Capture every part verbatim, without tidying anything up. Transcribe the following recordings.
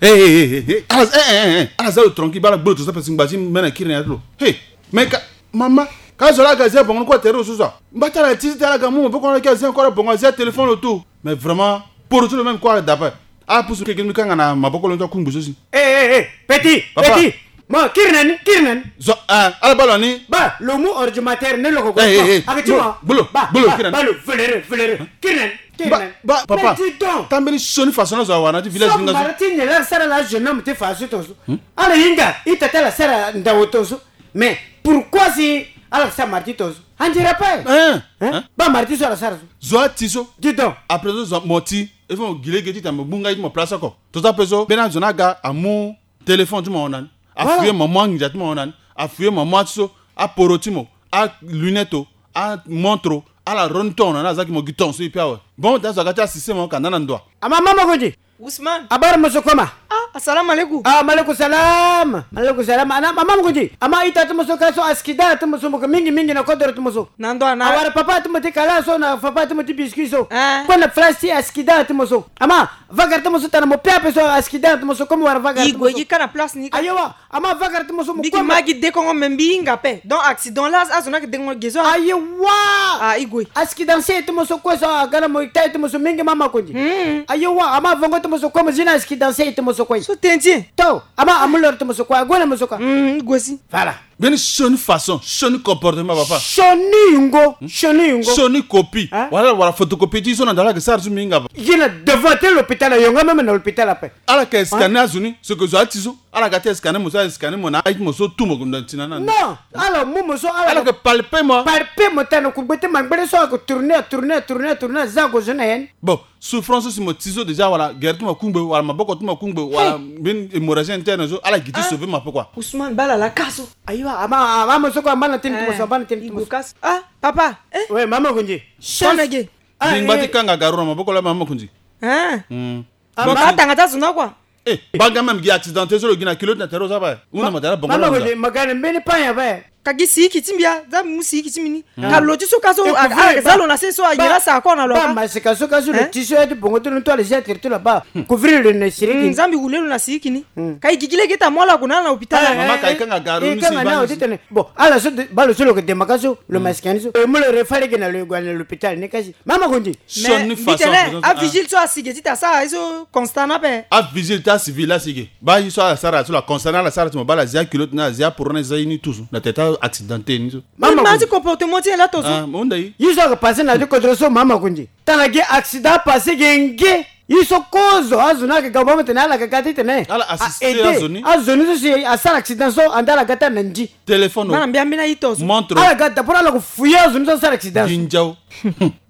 Hey, hey, hey, hey, hey. Ala, hey, hey, hey, hey. Ala za lo tranquille, bala gbolo to sa pesi ngba ti mene kiri na ya ti lo. Hey, mais ka, mama, ka zo la ga zia bongo ni kue tere lo so so. Mba ti ala ti ti ala ga mu maboko na ala ki azia encore bongo azia téléphone lo tout. Mais vraiment, poro ti lo même kue ala da ape. Ala pusu keke ni mbi kanga na maboko lo ni ti akungbi so si. Eh, eh, eh, petit, Papa. Petit. Mo, kiri na ni, kiri na ni. Zo, eh, ala baa lo ni. Ba, lo mu ordinateur ni lo ko. Eh, eh, eh. Ake ti mo. Bolo, bolo, kiri na ni. Ba, lo, voleur, voleur. Kiri na ni, kiri na ni. Ba, ba, papa. Mais dis donc. Tambeni sioni façon na zo awa na ti village so ni nga so. Mara ti nyen la sara la jeune homme ti fa so tonso. Hmm? Ala hinga, ita ti ala sara ndawo tonso. Mais pourquoi si ala sara mara ti tonso? On dirait pas. Hein? Hein? Hein? Ba mara ti so ala sara so. Zo ati so. Dis donc. Après so zo mo ti. Il faut mo gi lege ti tene mo gbu nga ti mo place oko. Tonso ape so, mbeni azo ni aga amu téléphone ti mo na ni. Voilà. Afuye mo mu anginza ti mo na ni. Afuye mo mu ati so, aporo ti mo, alunette o, amontre o, ala roni ton na ni, aza gi mo gi ton so e pe awe. Bon, da zo aga ti asise mo ka nda na ndo wa. Ama mama Kondi. Ousmane. Abara mo so koma. Ah, assalamu alaikum. Ah, malaikum salam. Malaikum salam. Ana mama Kondi. Ama ita ti mo so ka so askida ti mo so mo ka mingi mingi na kodoro ti mo so. Na ndo ana. Awara papa ti mo ti kala so na papa ti mo ti biscuit so. Ah. Kue na place ti askida ti mo so. Ama Vagara ti mo so tana mo pe ape so accident ti mo so comme wara vagara ti mo so. I gue gi ka na place ni ka. Ayewa, ama vagara ti mo so mo mbi ki ma gi de kongo me mbi hinga ape. Donc accident la azo na ke de kongo ge so. Ayewa. Ah, i gue. Accident se ti mo so kue so aga na mo ita ti mo so mingi mama Kondi. Hmm. Ayewa, ama vongo ti mo so kue mo zi na accident se ti mo so kue. So tendie. To, ama amulor ti mo so kue, ague na mo so ka. Hmm, i gue si. Voilà. Mbeni sioni façon, sioni comportement papa. Sioni yungo, sioni yungo. Sioni copie. Hein? Wala wala photocopie ti so na ndala ke sara so mingi papa. Ye na devant ti l'hôpital, yo nga même na l'hôpital ape. Ala ke scanner azo ni, ce que zo ati so. Ala ga ti scanner mo so, scanner mo na ayi ti mo so tout mo kunda ntina na. Non, ala mu mo so, ala ke palper mo. Palper mo tana kugbe ti mangbele so, ako tourner, tourner, tourner, tourner, aza ko zo na yen. Bon, souffrance so si mo ti so déjà wala gere ti mo akungbe wala maboko ti mo akungbe wala mbeni hémorragie interne so ala gi ti sauver mo ape quoi. Ousmane bala la ka so. Ayiwa, ama ama mo so kue amba na tene ti mo so, amba na tene ti mo so. Ah papa. Eh. Ouais, mama Kondi. Chance. Bingba ti kanga garo na maboko la mama Kondi. Hein. Atanga ti azo na kua. Eh, banga même gi accidenté so lo gi na culotte na tere oza ape. Hunda mo tara bongo la hunda. Mama Kondi, ma ga na mbeni panya ape. Ka gi siriki ti mbi a, za mbi mu siriki ti mbi ni. Ka lo ti so ka so, ala ke za lo na se so, anyen la sara kua na lo. Ba masika so ka so lo ti so ya ti bongo ti lo ni to ala zia tere ti lo aba. Couvrir lo na siriki. Za mbi wule lo na siriki ni. Ka i gigi lege ti amu ala gue na ala na hôpital. Mama ka i kanga garo ni si i kanga na ala ti tene. Bon, ala so baa lo so lo ke dema ka so, lo masika ni so. E mu lo refa lege na lo e gue na l'hôpital ni kasi. Mama Kondi. Sioni façon. Mbi tene avigile so asi ge ti ta sara ye so constat na ape. Avigile ti asi villa si ge. Baa ye so ala sara so la constat na ala sara ti mo baa ala zia culotte na ala zia poro na ala zia ye ni tout so na tene ti accidenté ni so. Mama Kondi. Ti comportement ti ye la to so. Ah, mo hunda ye. Ye so ake passé na ya ti kodro so mama Kondi. Tana ge accident passé ge nge. Ye so kozo azo ni ake ga baa mo tene ala ga ga ti tene. Ala assisté azo ni. Azo ni so si asara accident so anda ala ga ti ana ndi. Téléphone o. Bana mbi ambeni aye to so. Montre o. Ala ga da poro ala ko fouiller azo ni so asara accident so. Ginza o.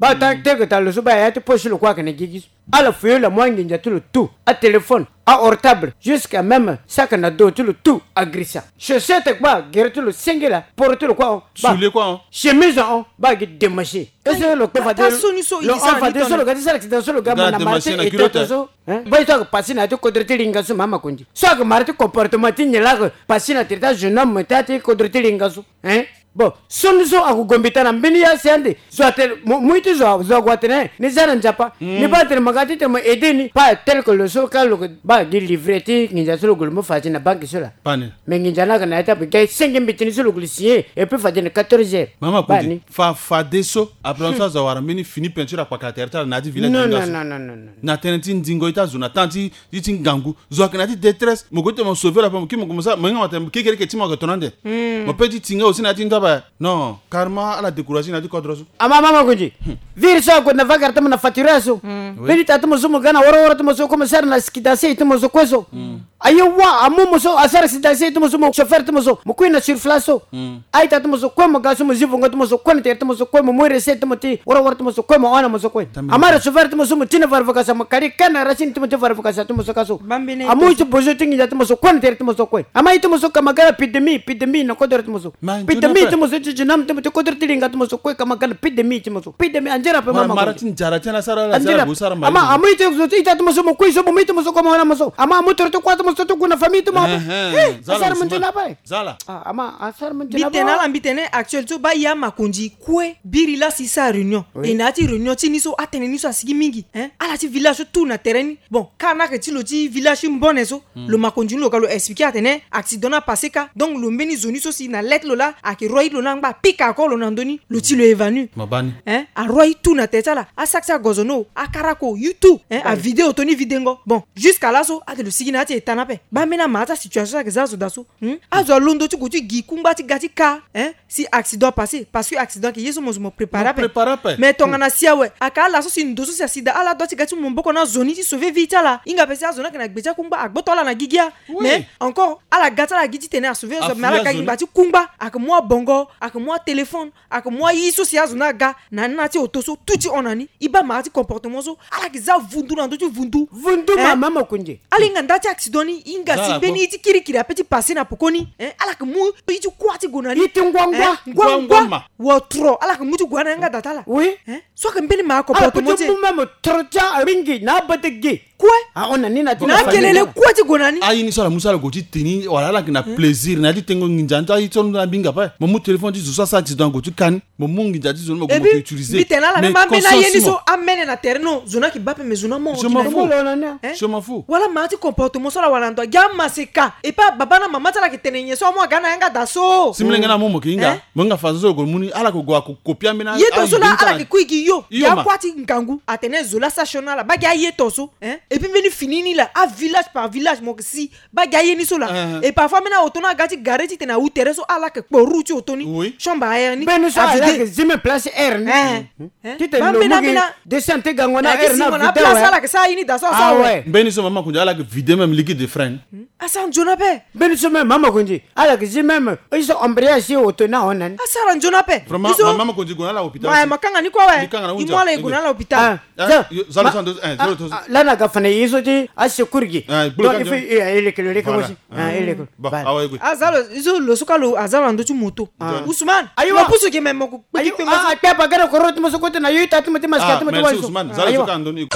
Baa ta tere ke ta lo so baa ya ti poche lo kue ake na gigi so. Ala fouiller lo amu anginza ti lo tout, atéléphone, aportable, jusqu'à même sac na dos ti lo tout agrisa. Chaussette kpa gere ti lo sengela, poro ti lo kue ahon. Soulier kue ahon. Chemise ahon, baa gi démaché. Est-ce que lo kpe fade lo hon fade so lo ga ti sara accident so lo ga mo na mara ti etoto so. Hein? Baa ye so ake passé na ya ti kodro ti linga so mama Kondi. So ake mara ti comportement ti nyen la ake passé na tere ti ajeune homme ti ya ti kodro ti linga so. Hein? Bon, sioni so ako gue mbi tana mbeni ya si ande. Zo atene, mo, mo ye ti zo, zo ague atene, ni za na Nzapa. Ni baa tene mo ga ti tene mo aider ni. Pas tel que lo so ka lo ke baa gi livret ti nginza so lo gue lo mu fa ti na banque so la. Pas ni. Mais nginza ni ake na ya ti ape ga e senge mbeti ni so lo gue lo signer. Et puis fade na quatorze heures. Mama Kondi, fa, fade so, après so azo awara mbeni fini peinture akpaka na tere ti ala na ya ti village. Non, non, non, non, non. Na tënë ti ndingo ye ti azo na temps ti, ti, ti ngangu. Zo ayeke na ya ti détresse. Mo gue ti tene mo sauver lo ape, mo kiri mo gue mo sara, mo hinga mo atene mo kekereke ti mo ayeke tongana ande. Mo peut ti ti nga aussi na ya ti ndo ape. Non, carrément ala décourager na ya ti kodro so. Ama mama Kondi. Viri so ague na vagara ti mo na faturière so. Oui. Mbeni ta ti mo so mo ga na woro woro ti mo so kue mo sara na skidanse ti mo so kue so. Aye wa, amu mo so asara skidanse ti mo so mo chauffeur ti mo so. Mo kui na sur place so. Aita ti mo so kue mo ga so mo zi vongo ti mo so kue na tere ti mo so kue mo mu recette ti mo ti woro woro ti mo so kue mo hon na mo so kue. Ama receveur ti mo so mo ti na varvukasa mo kari ka na racine ti mo ti varvukasa ti mo so ka so. Amu ye ti bozo ti nginza ti mo so kue na tere ti mo so kue. Ama ye ti mo so ka ma ga na pidemi, pidemi na kodoro ti mo so. Pidemi ti mo so ti jinam ti mo ti kodoro ti linga ti mo so kue ka ma ga na pidemi ti mo so. Pidemi anzere ape mama Kondi. Anzere ape. Ama amu ye ti mo so ita ti mo so mo kui so mo mu ye ti mo so kue mo hon na mo so. Ama amu toro ti kua ti mo So ti gue na famille ti mo ape. Asara mo nzena ape. Zala. Ah, ama asara mo nzena ape. Mbi tene ala, mbi tene actuel so baa e amakonzi kue biri la si e sara réunion. Oui. E na ya ti réunion ti ni so atene ni so asigi mingi, hein. Ala ti village so tout na tere ni. Bon, ka na yeke ti lo ti village ti Mbone so, lo makonzi ni lo ga lo expliquer atene accident ni apassé ka. Donc lo mbeni zo ni so si na lettre lo laa ayeke roi iri lo ni angba apika ako lo na ndö ni, lo ti lo évanoui. Hein, aroi tout na tere ti ala, asac ti agozono, akarako, yo tout, hein, avidéo toni videngo. Bon, jusqu'à là so ate lo sigi na ya ti eta ni ape. Baa mbeni ama ti asituation so ayeke za azo daa so. Hmm? Azo alondo ti gue ti gi kungba ti ga ti ka, hein, si accident apassé, parce que accident ayeke ye so mo zo mo préparer ape. Mais tongana si awe ayeke ala so si ndo so si asi daa, ala doit ti ga ti mu maboko na azo ni ti sauver vie ti ala. Hinga ape si azo ni ayeke na gbe ti akungba, agboto ala na gigi ya. Mais encore ala ga ti ala gi titene asauver azo, mais ala ga gi ngba ti kungba, ayeke mu abongo, ayeke mu atéléphone, ayeke mu aye so si azo ni aga na ni na ya ti oto so, tout ti hon na ni. E baa mara ti comportement so ala yeke za vundu na ndö ti vundu. Vundu. Mama Makonzi. Ala hinga nda ti accident ni, e hinga si mbeni ye ti kirikiri ape ti passé na pokoni, hein, ala yeke mu ye ti kuâ ti gue na ni. Ye ti ngua ngua. Ngua ngua. Wotro ala yeke mu ti gue na yanga da ti ala. Oui. Hein? So ayeke mbeni mara comportement ti e. Ala peut ti mu même tro ti aringi na abadege. Kue. Ahon na ni na ti na akelele kue ti gue na ni. Aye ni so ala mu so ala gue ti te ni wala ala yeke na plaisir na ya ti tengo nginza ni ti aye so na mbi hinga ape. Mo mu téléphone ti zo so asara accident ague ti ka ni. Mo mu nginza ti zo ni mo gue mo ke utiliser. Mbi tene na ala même ambeni aye ni so amene na tere ni, zo ni ayeke baa ape mais zo ni amon. Je m'en fous. Wala mara ti comportement so ala wara na ndo agi amaseka. E pas baba na mama ti ala ayeke tene nyen so amu aga na yanga da so. Si molenge ni amu mo ke hinga. Mo hinga façon so lo gue lo mu ni, ala yeke gue ako kopi ambeni aye. Ye tongaso laa ala yeke kui gi yo. Yo ma. Akuâ ti ngangu atene zo laa sa sioni na ala baa gi aye tongaso. Hein? Et puis mbeni fini ni laa, avillage par village mo yeke si baa gi aye ni so laa. Et parfois mbeni aoto ni aga ti gare titene awu tere so, ala yeke kpo roue ti oto ni. Oui. Chambre à air ni. Mbeni so ala yeke zi même place air ni. Hein? Titene lo mu gi descente gango na air ni avide awe. Ala yeke sara ye ni da so awe. Mbeni so mama Makonzi ala yeke vide même liquide de frein. Asara nzoni ape. Mbeni so même mama Makonzi ala yeke zi même ye so embrayage ti oto ni ahon na ni. Asara nzoni ape. Vraiment mama Makonzi gue na ala hôpital. Ma kanga ni kue awe. E mu ala e gue na ala hôpital. Zalo so ando, eh, zalo to. Lani aga fa na ye so ti asecours gi. Donc il faut e leke lo leke ngo si. E leke lo. Azalo, ye so lo so ka lo azalo na ndö ti moto. Ousmane. Ayiwa. Mo pusu gi me mo ko. Ayiwa. Akpe apa gana koro ti mo so kote na yo ita ti mo ti maska ti mo ti wa so. Ousmane, zalo so ka ando ni.